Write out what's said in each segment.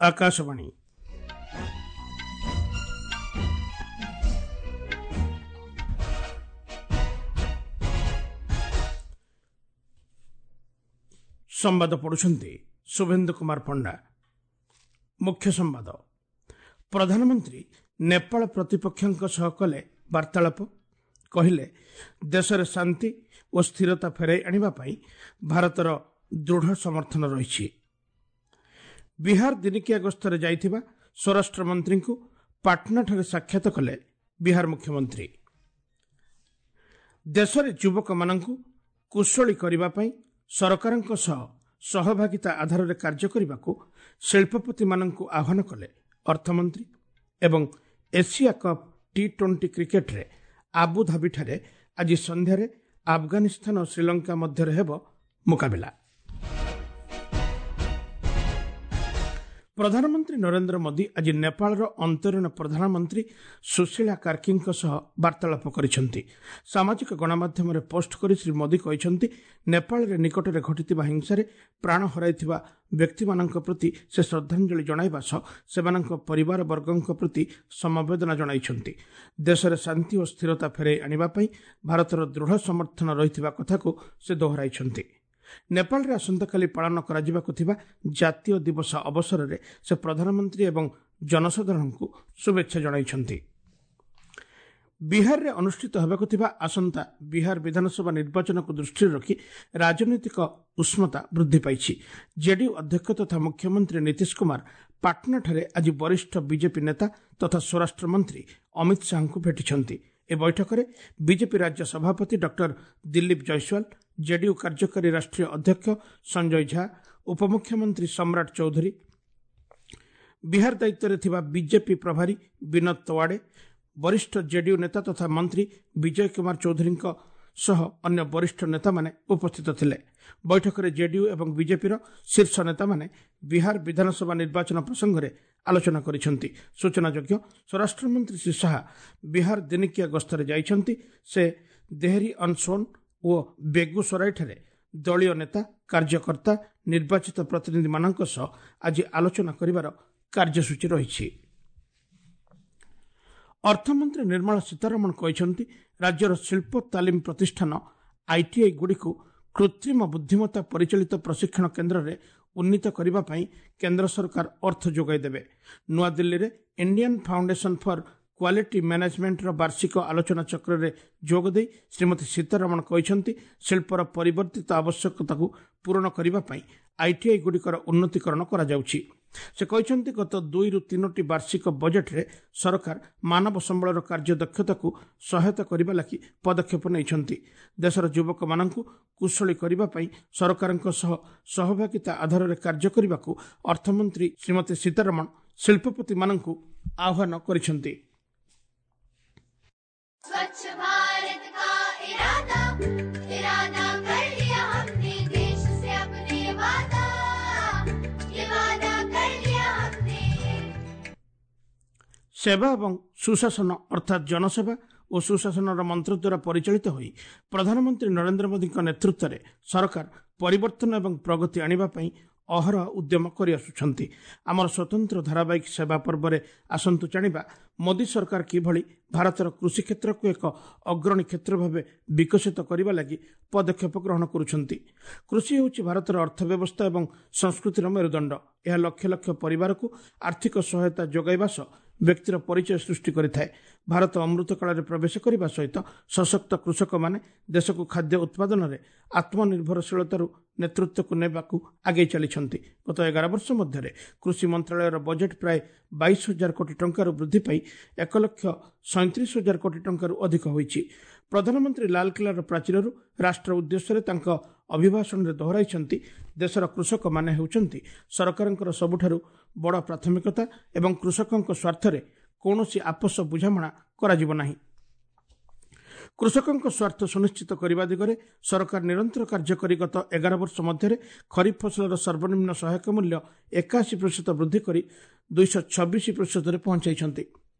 ଆକାଶବାଣୀ। ସମ୍ବାଦ ପଢ଼ୁଛନ୍ତି ଶୁଭେନ୍ଦୁ କୁମାର ପଣ୍ଡା। ମୁଖ୍ୟ ସମ୍ବାଦ। ପ୍ରଧାନମନ୍ତ୍ରୀ ନେପାଳ ପ୍ରତିପକ୍ଷଙ୍କ ସହ କଲେ ବାର୍ତ୍ତାଳାପ, କହିଲେ ଦେଶରେ ଶାନ୍ତି ଓ ସ୍ଥିରତା ଫେରାଇ ଆଣିବା ପାଇଁ ଭାରତର ଦୃଢ଼ ସମର୍ଥନ ରହିଛି। ବିହାର ଦିନିକିଆ ଗସ୍ତରେ ଯାଇଥିବା ସ୍ୱରାଷ୍ଟ୍ରମନ୍ତ୍ରୀଙ୍କୁ ପାଟନାଠାରେ ସାକ୍ଷାତ କଲେ ବିହାର ମୁଖ୍ୟମନ୍ତ୍ରୀ। ଦେଶରେ ଯୁବକମାନଙ୍କୁ କୁଶଳୀ କରିବା ପାଇଁ ସରକାରଙ୍କ ସହ ସହଭାଗିତା ଆଧାରରେ କାର୍ଯ୍ୟ କରିବାକୁ ଶିଳ୍ପପତିମାନଙ୍କୁ ଆହ୍ୱାନ କଲେ ଅର୍ଥମନ୍ତ୍ରୀ। ଏବଂ ଏସିଆ କପ୍ ଟି-20 କ୍ରିକେଟରେ ଆବୁଧାବିଠାରେ ଆଜି ସନ୍ଧ୍ୟାରେ ଆଫଗାନିସ୍ତାନ ଓ ଶ୍ରୀଲଙ୍କା ମଧ୍ୟରେ ହେବ ମୁକାବିଲା। ପ୍ରଧାନମନ୍ତ୍ରୀ ନରେନ୍ଦ୍ର ମୋଦି ଆଜି ନେପାଳର ଅନ୍ତରୀଣ ପ୍ରଧାନମନ୍ତ୍ରୀ ସୁଶୀଳା କାର୍କିଙ୍କ ସହ ବାର୍ତ୍ତାଳାପ କରିଛନ୍ତି। ସାମାଜିକ ଗଣମାଧ୍ୟମରେ ପୋଷ୍ଟ କରି ଶ୍ରୀ ମୋଦି କହିଛନ୍ତି, ନେପାଳରେ ନିକଟରେ ଘଟିଥିବା ହିଂସାରେ ପ୍ରାଣ ହରାଇଥିବା ବ୍ୟକ୍ତିମାନଙ୍କ ପ୍ରତି ସେ ଶ୍ରଦ୍ଧାଞ୍ଜଳି ଜଣାଇବା ସହ ସେମାନଙ୍କ ପରିବାରବର୍ଗଙ୍କ ପ୍ରତି ସମବେଦନା ଜଣାଇଛନ୍ତି। ଦେଶରେ ଶାନ୍ତି ଓ ସ୍ଥିରତା ଫେରାଇ ଆଣିବା ପାଇଁ ଭାରତର ଦୃଢ଼ ସମର୍ଥନ ରହିଥିବା କଥାକୁ ସେ ଦୋହରାଇଛନ୍ତି। ନେପାଳରେ ଆସନ୍ତାକାଲି ପାଳନ କରାଯିବାକୁ ଥିବା ଜାତୀୟ ଦିବସ ଅବସରରେ ସେ ପ୍ରଧାନମନ୍ତ୍ରୀ ଏବଂ ଜନସାଧାରଣଙ୍କୁ ଶୁଭେଚ୍ଛା ଜଣାଇଛନ୍ତି। ବିହାରରେ ଅନୁଷ୍ଠିତ ହେବାକୁ ଥିବା ଆସନ୍ତା ବିହାର ବିଧାନସଭା ନିର୍ବାଚନକୁ ଦୃଷ୍ଟିରେ ରଖି ରାଜନୈତିକ ଉଷ୍ମତା ବୃଦ୍ଧି ପାଇଛି। ଜେଡିୟୁ ଅଧ୍ୟକ୍ଷ ତଥା ମୁଖ୍ୟମନ୍ତ୍ରୀ ନୀତିଶ କୁମାର ପାଟନାଠାରେ ଆଜି ବରିଷ୍ଠ ବିଜେପି ନେତା ତଥା ସ୍ୱରାଷ୍ଟ୍ରମନ୍ତ୍ରୀ ଅମିତ ଶାହାଙ୍କୁ ଭେଟିଛନ୍ତି। ଏ ବୈଠକରେ ବିଜେପି ରାଜ୍ୟ ସଭାପତି ଡକ୍ଟର ଦିଲ୍ଲୀପ ଜୟସ୍ୱାଲ, ଜେଡିୟୁ କାର୍ଯ୍ୟକାରୀ ରାଷ୍ଟ୍ରୀୟ ଅଧ୍ୟକ୍ଷ ସଞ୍ଜୟ ଝା, ଉପମୁଖ୍ୟମନ୍ତ୍ରୀ ସମ୍ରାଟ ଚୌଧୁରୀ, ବିହାର ଦାୟିତ୍ୱରେ ଥିବା ବିଜେପି ପ୍ରଭାରୀ ବିନୋଦ ତୱାଡେ, ବରିଷ୍ଠ ଜେଡିୟୁ ନେତା ତଥା ମନ୍ତ୍ରୀ ବିଜୟ କୁମାର ଚୌଧୁରୀଙ୍କ ସହ ଅନ୍ୟ ବରିଷ୍ଠ ନେତାମାନେ ଉପସ୍ଥିତ ଥିଲେ। ବୈଠକରେ ଜେଡିୟୁ ଏବଂ ବିଜେପିର ଶୀର୍ଷ ନେତାମାନେ ବିହାର ବିଧାନସଭା ନିର୍ବାଚନ ପ୍ରସଙ୍ଗରେ ଆଲୋଚନା କରିଛନ୍ତି। ସୂଚନାଯୋଗ୍ୟ, ସ୍ୱରାଷ୍ଟ୍ରମନ୍ତ୍ରୀ ଶ୍ରୀ ଶାହା ବିହାର ଦିନିକିଆ ଗସ୍ତରେ ଯାଇଛନ୍ତି। ସେ ଦେହରି ଅନସୋନ୍ ଓ ବେଗୁସରାଇଠାରେ ଦଳୀୟ ନେତା, କାର୍ଯ୍ୟକର୍ତ୍ତା, ନିର୍ବାଚିତ ପ୍ରତିନିଧିମାନଙ୍କ ସହ ଆଜି ଆଲୋଚନା କରିବାର କାର୍ଯ୍ୟସୂଚୀ ରହିଛି। ଅର୍ଥମନ୍ତ୍ରୀ ନିର୍ମଳା ସୀତାରମଣ କହିଛନ୍ତି, ରାଜ୍ୟର ଶିଳ୍ପ ତାଲିମ ପ୍ରତିଷ୍ଠାନ ଆଇଟିଆଇ ଗୁଡ଼ିକୁ କୃତ୍ରିମ ବୁଦ୍ଧିମତ୍ତା ପରିଚାଳିତ ପ୍ରଶିକ୍ଷଣ କେନ୍ଦ୍ରରେ ଉନ୍ନୀତ କରିବା ପାଇଁ କେନ୍ଦ୍ର ସରକାର ଅର୍ଥ ଯୋଗାଇ ଦେବେ। ନୂଆଦିଲ୍ଲୀରେ ଇଣ୍ଡିଆନ୍ ଫାଉଣ୍ଡେସନ୍ ଫର୍ କ୍ୱାଲିଟି ମ୍ୟାନେଜମେଣ୍ଟର ବାର୍ଷିକ ଆଲୋଚନା ଚକ୍ରରେ ଯୋଗଦେଇ ଶ୍ରୀମତୀ ସୀତାରମଣ କହିଛନ୍ତି, ଶିଳ୍ପର ପରିବର୍ତ୍ତିତ ଆବଶ୍ୟକତାକୁ ପୂରଣ କରିବା ପାଇଁ ଆଇଟିଆଇ ଗୁଡ଼ିକର ଉନ୍ନତିକରଣ କରାଯାଉଛି। ସେ କହିଛନ୍ତି, ଗତ 2ରୁ 3ଟି ବାର୍ଷିକ ବଜେଟ୍ରେ ସରକାର ମାନବ ସମ୍ବଳର କାର୍ଯ୍ୟଦକ୍ଷତାକୁ ସହାୟତା କରିବା ଲାଗି ପଦକ୍ଷେପ ନେଇଛନ୍ତି। ଦେଶର ଯୁବକମାନଙ୍କୁ କୁଶଳୀ କରିବା ପାଇଁ ସରକାରଙ୍କ ସହ ସହଭାଗିତା ଆଧାରରେ କାର୍ଯ୍ୟ କରିବାକୁ ଅର୍ଥମନ୍ତ୍ରୀ ଶ୍ରୀମତୀ ସୀତାରମଣ ଶିଳ୍ପପତିମାନଙ୍କୁ ଆହ୍ୱାନ କରିଛନ୍ତି। स्वच्छ भारत का इरादा इरादा कर लिया हमने, देश से अपने वादा, ये वादा कर लिया हमने। ସେବା ଏବଂ ସୁଶାସନ ଅର୍ଥାତ୍ ଜନସେବା ଓ ସୁଶାସନର ମନ୍ତ୍ର ଦ୍ୱାରା ପରିଚାଳିତ ହୋଇ ପ୍ରଧାନମନ୍ତ୍ରୀ ନରେନ୍ଦ୍ର ମୋଦିଙ୍କ ନେତୃତ୍ୱରେ ସରକାର ପରିବର୍ତ୍ତନ ଏବଂ ପ୍ରଗତି ଆଣିବା ପାଇଁ ଅହରହ ଉଦ୍ୟମ କରିଆସୁଛନ୍ତି। ଆମର ସ୍ୱତନ୍ତ୍ର ଧାରାବାହିକ ସେବା ପର୍ବରେ ଆସନ୍ତୁ ଜାଣିବା ମୋଦି ସରକାର କିଭଳି ଭାରତର କୃଷି କ୍ଷେତ୍ରକୁ ଏକ ଅଗ୍ରଣୀ କ୍ଷେତ୍ର ଭାବେ ବିକଶିତ କରିବା ଲାଗି ପଦକ୍ଷେପ ଗ୍ରହଣ କରୁଛନ୍ତି। କୃଷି ହେଉଛି ଭାରତର ଅର୍ଥବ୍ୟବସ୍ଥା ଏବଂ ସଂସ୍କୃତିର ମେରୁଦଣ୍ଡ। ଏହା ଲକ୍ଷ ଲକ୍ଷ ପରିବାରକୁ ଆର୍ଥିକ ସହାୟତା ଯୋଗାଇବା ସହ ବ୍ୟକ୍ତିର ପରିଚୟ ସୃଷ୍ଟି କରିଥାଏ। ଭାରତ ଅମୃତ କାଳରେ ପ୍ରବେଶ କରିବା ସହିତ ସଶକ୍ତ କୃଷକମାନେ ଦେଶକୁ ଖାଦ୍ୟ ଉତ୍ପାଦନରେ ଆତ୍ମନିର୍ଭରଶୀଳତାରୁ ନେତୃତ୍ୱକୁ ନେବାକୁ ଆଗେଇ ଚାଲିଛନ୍ତି। ଗତ 11 ବର୍ଷ ମଧ୍ୟରେ କୃଷି ମନ୍ତ୍ରାଳୟର ବଜେଟ୍ ପ୍ରାୟ 22,000 କୋଟି ଟଙ୍କାରୁ ବୃଦ୍ଧି ପାଇ 1,37,000 କୋଟି ଟଙ୍କାରୁ ଅଧିକ ହୋଇଛି। ପ୍ରଧାନମନ୍ତ୍ରୀ ଲାଲକିଲ୍ଲାର ପ୍ରାଚୀରରୁ ରାଷ୍ଟ୍ର ଉଦ୍ଦେଶ୍ୟରେ ତାଙ୍କ ଅଭିଭାଷଣରେ ଦୋହରାଇଛନ୍ତି, ଦେଶର କୃଷକମାନେ ହେଉଛନ୍ତି ସରକାରଙ୍କର ସବୁଠାରୁ ବଡ଼ ପ୍ରାଥମିକତା ଏବଂ କୃଷକଙ୍କ ସ୍ୱାର୍ଥରେ କୌଣସି ଆପୋଷ ବୁଝାମଣା କରାଯିବ ନାହିଁ। କୃଷକଙ୍କ ସ୍ୱାର୍ଥ ସୁନିଶ୍ଚିତ କରିବା ଦିଗରେ ସରକାର ନିରନ୍ତର କାର୍ଯ୍ୟ କରି ଗତ 11 ବର୍ଷ ମଧ୍ୟରେ ଖରିଫ ଫସଲର ସର୍ବନିମ୍ନ ସହାୟକ ମୂଲ୍ୟ 81% ବୃଦ୍ଧି କରି 226%ରେ ପହଞ୍ଚାଇଛନ୍ତି।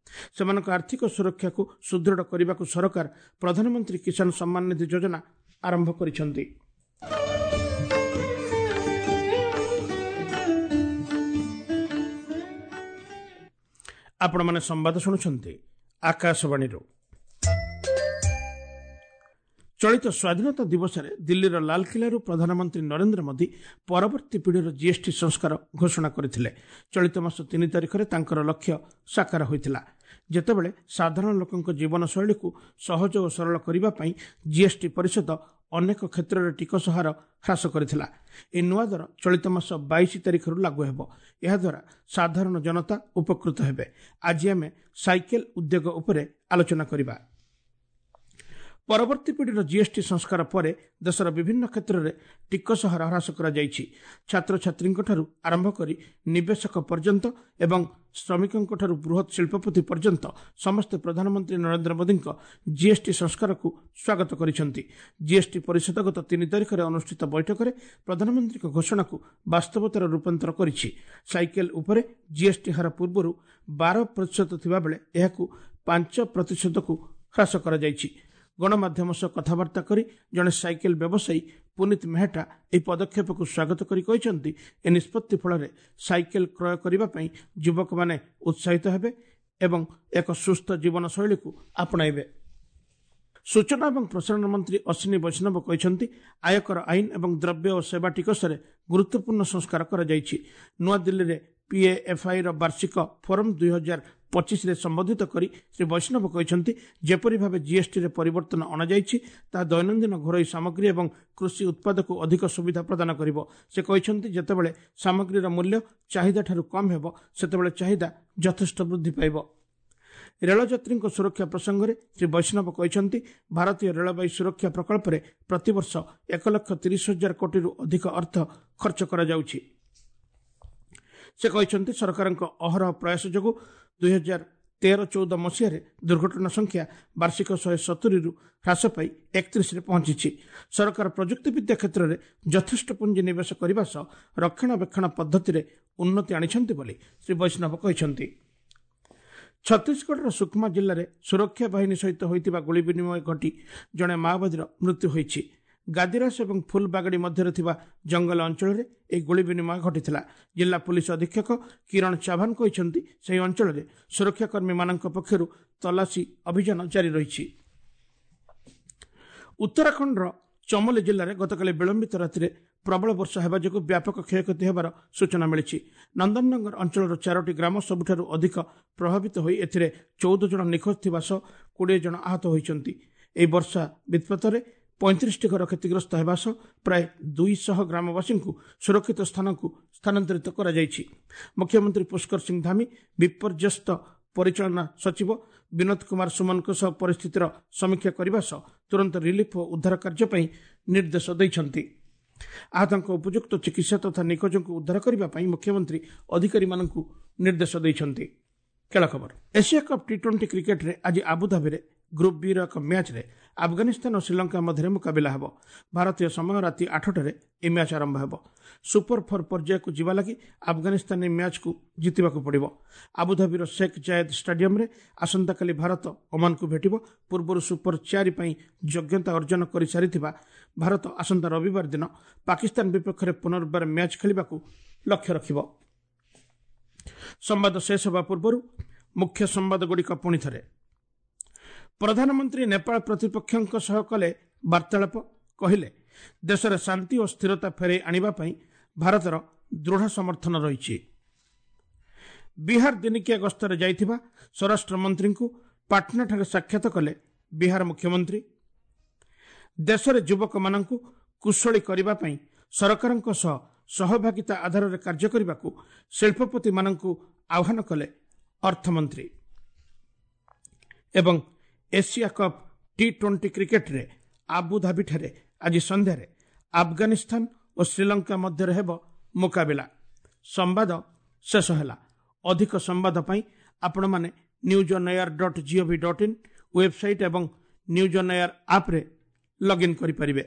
ସେମାନଙ୍କ ଆର୍ଥିକ ସୁରକ୍ଷାକୁ ସୁଦୃଢ଼ କରିବାକୁ ସରକାର ପ୍ରଧାନମନ୍ତ୍ରୀ କିଷାନ ସମ୍ମାନ ନିଧି ଯୋଜନା ଆରମ୍ଭ କରିଛନ୍ତି। ଆପଣମାନେ ସମ୍ବାଦ ଶୁଣୁଛନ୍ତି ଆକାଶବାଣୀରୁ। ଚଳିତ ସ୍ୱାଧୀନତା ଦିବସରେ ଦିଲ୍ଲୀର ଲାଲକିଲ୍ଲାରୁ ପ୍ରଧାନମନ୍ତ୍ରୀ ନରେନ୍ଦ୍ର ମୋଦି ପରବର୍ତ୍ତୀ ପିଢ଼ିର ଜିଏସ୍ଟି ସଂସ୍କାର ଘୋଷଣା କରିଥିଲେ। ଚଳିତ ମାସ 3 ତାରିଖରେ ତାଙ୍କର ଲକ୍ଷ୍ୟ ସାକାର ହୋଇଥିଲା, ଯେତେବେଳେ ସାଧାରଣ ଲୋକଙ୍କ ଜୀବନଶୈଳୀକୁ ସହଜ ଓ ସରଳ କରିବା ପାଇଁ ଜିଏସ୍ଟି ପରିଷଦ ଅନେକ କ୍ଷେତ୍ରରେ ଟିକସ ହାର ହ୍ରାସ କରିଥିଲା। ଏହି ନୂଆ ଦର ଚଳିତ ମାସ 22 ତାରିଖରୁ ଲାଗୁ ହେବ। ଏହାଦ୍ୱାରା ସାଧାରଣ ଜନତା ଉପକୃତ ହେବେ। ଆଜି ଆମେ ସାଇକେଲ ଉଦ୍ୟୋଗ ଉପରେ ଆଲୋଚନା କରିବା। ପରବର୍ତ୍ତୀ ପିଢ଼ିର ଜିଏସ୍ଟି ସଂସ୍କାର ପରେ ଦେଶର ବିଭିନ୍ନ କ୍ଷେତ୍ରରେ ଟିକସ ହାର ହ୍ରାସ କରାଯାଇଛି। ଛାତ୍ରଛାତ୍ରୀଙ୍କଠାରୁ ଆରମ୍ଭ କରି ନିବେଶକ ପର୍ଯ୍ୟନ୍ତ ଏବଂ ଶ୍ରମିକଙ୍କଠାରୁ ବୃହତ୍ ଶିଳ୍ପପତି ପର୍ଯ୍ୟନ୍ତ ସମସ୍ତେ ପ୍ରଧାନମନ୍ତ୍ରୀ ନରେନ୍ଦ୍ର ମୋଦିଙ୍କ ଜିଏସ୍ଟି ସଂସ୍କାରକୁ ସ୍ୱାଗତ କରିଛନ୍ତି। ଜିଏସ୍ଟି ପରିଷଦ ଗତ 3 ତାରିଖରେ ଅନୁଷ୍ଠିତ ବୈଠକରେ ପ୍ରଧାନମନ୍ତ୍ରୀଙ୍କ ଘୋଷଣାକୁ ବାସ୍ତବତାର ରୂପାନ୍ତର କରିଛି। ସାଇକେଲ ଉପରେ ଜିଏସ୍ଟି ହାର ପୂର୍ବରୁ 12% ଥିବାବେଳେ ଏହାକୁ 5%କୁ ହ୍ରାସ କରାଯାଇଛି। ଗଣମାଧ୍ୟମ ସହ କଥାବାର୍ତ୍ତା କରି ଜଣେ ସାଇକେଲ ବ୍ୟବସାୟୀ ପୁନିତ ମେହେଟା ଏହି ପଦକ୍ଷେପକୁ ସ୍ୱାଗତ କରି କହିଛନ୍ତି, ଏ ନିଷ୍ପତ୍ତି ଫଳରେ ସାଇକେଲ କ୍ରୟ କରିବା ପାଇଁ ଯୁବକମାନେ ଉତ୍ସାହିତ ହେବେ ଏବଂ ଏକ ସୁସ୍ଥ ଜୀବନଶୈଳୀକୁ ଆପଣାଇବେ। ସୂଚନା ଏବଂ ପ୍ରସାରଣ ମନ୍ତ୍ରୀ ଅଶ୍ୱିନୀ ବୈଷ୍ଣବ କହିଛନ୍ତି, ଆୟକର ଆଇନ ଏବଂ ଦ୍ରବ୍ୟ ଓ ସେବା ଟିକସରେ ଗୁରୁତ୍ୱପୂର୍ଣ୍ଣ ସଂସ୍କାର କରାଯାଇଛି। ନୂଆଦିଲ୍ଲୀରେ ପିଏଏଫ୍ଆଇର ବାର୍ଷିକ ଫୋରମ୍ 2025ରେ ସମ୍ବୋଧିତ କରି ଶ୍ରୀ ବୈଷ୍ଣବ କହିଛନ୍ତି, ଯେପରି ଭାବେ ଜିଏସ୍ଟିରେ ପରିବର୍ତ୍ତନ ଅଣାଯାଇଛି ତାହା ଦୈନନ୍ଦିନ ଘରୋଇ ସାମଗ୍ରୀ ଏବଂ କୃଷି ଉତ୍ପାଦକୁ ଅଧିକ ସୁବିଧା ପ୍ରଦାନ କରିବ। ସେ କହିଛନ୍ତି, ଯେତେବେଳେ ସାମଗ୍ରୀର ମୂଲ୍ୟ ଚାହିଦାଠାରୁ କମ୍ ହେବ ସେତେବେଳେ ଚାହିଦା ଯଥେଷ୍ଟ ବୃଦ୍ଧି ପାଇବ। ରେଳଯାତ୍ରୀଙ୍କ ସୁରକ୍ଷା ପ୍ରସଙ୍ଗରେ ଶ୍ରୀ ବୈଷ୍ଣବ କହିଛନ୍ତି, ଭାରତୀୟ ରେଳବାଇ ସୁରକ୍ଷା ପ୍ରକଳ୍ପରେ ପ୍ରତିବର୍ଷ 1,30,000 କୋଟିରୁ ଅଧିକ ଅର୍ଥ ଖର୍ଚ୍ଚ କରାଯାଉଛି। ସେ କହିଛନ୍ତି, ସରକାରଙ୍କ ଅହରହ ପ୍ରୟାସ ଯୋଗୁଁ 2013-14 ମସିହାରେ ଦୁର୍ଘଟଣା ସଂଖ୍ୟା ବାର୍ଷିକ 170ରୁ ହ୍ରାସ ପାଇ 31ରେ ପହଞ୍ଚିଛି। ସରକାର ପ୍ରଯୁକ୍ତିବିଦ୍ୟା କ୍ଷେତ୍ରରେ ଯଥେଷ୍ଟ ପୁଞ୍ଜି ନିବେଶ କରିବା ସହ ରକ୍ଷଣାବେକ୍ଷଣ ପଦ୍ଧତିରେ ଉନ୍ନତି ଆଣିଛନ୍ତି ବୋଲି ଶ୍ରୀ ବୈଷ୍ଣବ କହିଛନ୍ତି। ଛତିଶଗଡ଼ର ସୁକମା ଜିଲ୍ଲାରେ ସୁରକ୍ଷା ବାହିନୀ ସହିତ ହୋଇଥିବା ଗୁଳି ବିନିମୟ ଘଟି ଜଣେ ମାଓବାଦୀର ମୃତ୍ୟୁ ହୋଇଛି। ଗାଦିରାସ ଏବଂ ଫୁଲବାଗଡ଼ି ମଧ୍ୟରେ ଥିବା ଜଙ୍ଗଲ ଅଞ୍ଚଳରେ ଏହି ଗୁଳି ବିନିମୟ ଘଟିଥିଲା। ଜିଲ୍ଲା ପୁଲିସ ଅଧୀକ୍ଷକ କିରଣ ଚାଭାନ କହିଛନ୍ତି, ସେହି ଅଞ୍ଚଳରେ ସୁରକ୍ଷାକର୍ମୀମାନଙ୍କ ପକ୍ଷରୁ ତଲାସୀ ଅଭିଯାନ ଜାରି ରହିଛି। ଉତ୍ତରାଖଣ୍ଡର ଚମୋଲି ଜିଲ୍ଲାରେ ଗତକାଲି ବିଳମ୍ବିତ ରାତିରେ ପ୍ରବଳ ବର୍ଷା ହେବା ଯୋଗୁଁ ବ୍ୟାପକ କ୍ଷୟକ୍ଷତି ହେବାର ସୂଚନା ମିଳିଛି। ନନ୍ଦନନଗର ଅଞ୍ଚଳର 4ଟି ଗ୍ରାମ ସବୁଠାରୁ ଅଧିକ ପ୍ରଭାବିତ ହୋଇ ଏଥିରେ 14 ଜଣ ନିଖୋଜ ଥିବା ସହ 20 ଜଣ ଆହତ ହୋଇଛନ୍ତି। ଏହି ବର୍ଷା ବିତ୍ପାତରେ 35ଟି ଘର କ୍ଷତିଗ୍ରସ୍ତ ହେବା ସହ ପ୍ରାୟ 200 ଗ୍ରାମବାସୀଙ୍କୁ ସୁରକ୍ଷିତ ସ୍ଥାନକୁ ସ୍ଥାନାନ୍ତରିତ କରାଯାଇଛି। ମୁଖ୍ୟମନ୍ତ୍ରୀ ପୁଷ୍କର ସିଂ ଧାମୀ ବିପର୍ଯ୍ୟସ୍ତ ପରିଚାଳନା ସଚିବ ବିନୋଦ କୁମାର ସୁମନଙ୍କ ସହ ପରିସ୍ଥିତିର ସମୀକ୍ଷା କରିବା ସହ ତୁରନ୍ତ ରିଲିଫ୍ ଓ ଉଦ୍ଧାର କାର୍ଯ୍ୟ ପାଇଁ ନିର୍ଦ୍ଦେଶ ଦେଇଛନ୍ତି। ଆହତଙ୍କ ଉପଯୁକ୍ତ ଚିକିତ୍ସା ତଥା ନିଖୋଜଙ୍କୁ ଉଦ୍ଧାର କରିବା ପାଇଁ ମୁଖ୍ୟମନ୍ତ୍ରୀ ଅଧିକାରୀମାନଙ୍କୁ ନିର୍ଦ୍ଦେଶ ଦେଇଛନ୍ତି। ଖେଳ ଖବର। ଏସିଆ କପ୍ ଟି-20 କ୍ରିକେଟରେ ଆଜି ଆବୁଧାବିରେ ଗ୍ରୁପ୍ ବିର ଏକ ମ୍ୟାଚ୍ରେ ଆଫଗାନିସ୍ତାନ ଓ ଶ୍ରୀଲଙ୍କା ମଧ୍ୟରେ ମୁକାବିଲା ହେବ। ଭାରତୀୟ ସମୟ ରାତି 8ଟାରେ ଏହି ମ୍ୟାଚ୍ ଆରମ୍ଭ ହେବ। ସୁପର ଫୋର୍ ପର୍ଯ୍ୟାୟକୁ ଯିବା ଲାଗି ଆଫଗାନିସ୍ତାନ ଏହି ମ୍ୟାଚ୍କୁ ଜିତିବାକୁ ପଡ଼ିବ। ଆବୁଧାବିର ଶେଖ୍ ଜାୟେଦ୍ ଷ୍ଟାଡିୟମରେ ଆସନ୍ତାକାଲି ଭାରତ ଓମାନକୁ ଭେଟିବ। ପୂର୍ବରୁ ସୁପର 4 ପାଇଁ ଯୋଗ୍ୟତା ଅର୍ଜନ କରିସାରିଥିବା ଭାରତ ଆସନ୍ତା ରବିବାର ଦିନ ପାକିସ୍ତାନ ବିପକ୍ଷରେ ପୁନର୍ବାର ମ୍ୟାଚ୍ ଖେଳିବାକୁ ଲକ୍ଷ୍ୟ ରଖିବ। ସମ୍ବାଦ ଶେଷ ହେବା ପୂର୍ବରୁ ମୁଖ୍ୟ ସମ୍ବାଦଗୁଡ଼ିକ ପୁଣି ଥରେ। ପ୍ରଧାନମନ୍ତ୍ରୀ ନେପାଳ ପ୍ରତିପକ୍ଷଙ୍କ ସହ କଲେ ବାର୍ତ୍ତାଳାପ, କହିଲେ ଦେଶରେ ଶାନ୍ତି ଓ ସ୍ଥିରତା ଫେରାଇ ଆଣିବା ପାଇଁ ଭାରତର ଦୃଢ଼ ସମର୍ଥନ ରହିଛି। ବିହାର ଦିନିକିଆ ଗସ୍ତରେ ଯାଇଥିବା ସ୍ୱରାଷ୍ଟ୍ରମନ୍ତ୍ରୀଙ୍କୁ ପାଟନାଠାରେ ସାକ୍ଷାତ କଲେ ବିହାର ମୁଖ୍ୟମନ୍ତ୍ରୀ। ଦେଶରେ ଯୁବକମାନଙ୍କୁ କୁଶଳୀ କରିବା ପାଇଁ ସରକାରଙ୍କ ସହ ସହଭାଗିତା ଆଧାରରେ କାର୍ଯ୍ୟ କରିବାକୁ ଶିଳ୍ପପତିମାନଙ୍କୁ ଆହ୍ୱାନ କଲେ ଅର୍ଥମନ୍ତ୍ରୀ। ଏବଂ ଏସିଆ କପ୍ ଟି-20 କ୍ରିକେଟରେ ଆବୁଧାବିଠାରେ ଆଜି ସନ୍ଧ୍ୟାରେ ଆଫଗାନିସ୍ତାନ ଓ ଶ୍ରୀଲଙ୍କା ମଧ୍ୟରେ ହେବ ମୁକାବିଲା। ସମ୍ବାଦ ଶେଷ ହେଲା। ଅଧିକ ସମ୍ବାଦ ପାଇଁ ଆପଣମାନେ newsonair.gov.in website ଏବଂ ନ୍ୟୁଜ୍ ଅନ୍ ଏୟାର ଆପ୍ରେ ଲଗ୍ଇନ୍ କରିପାରିବେ।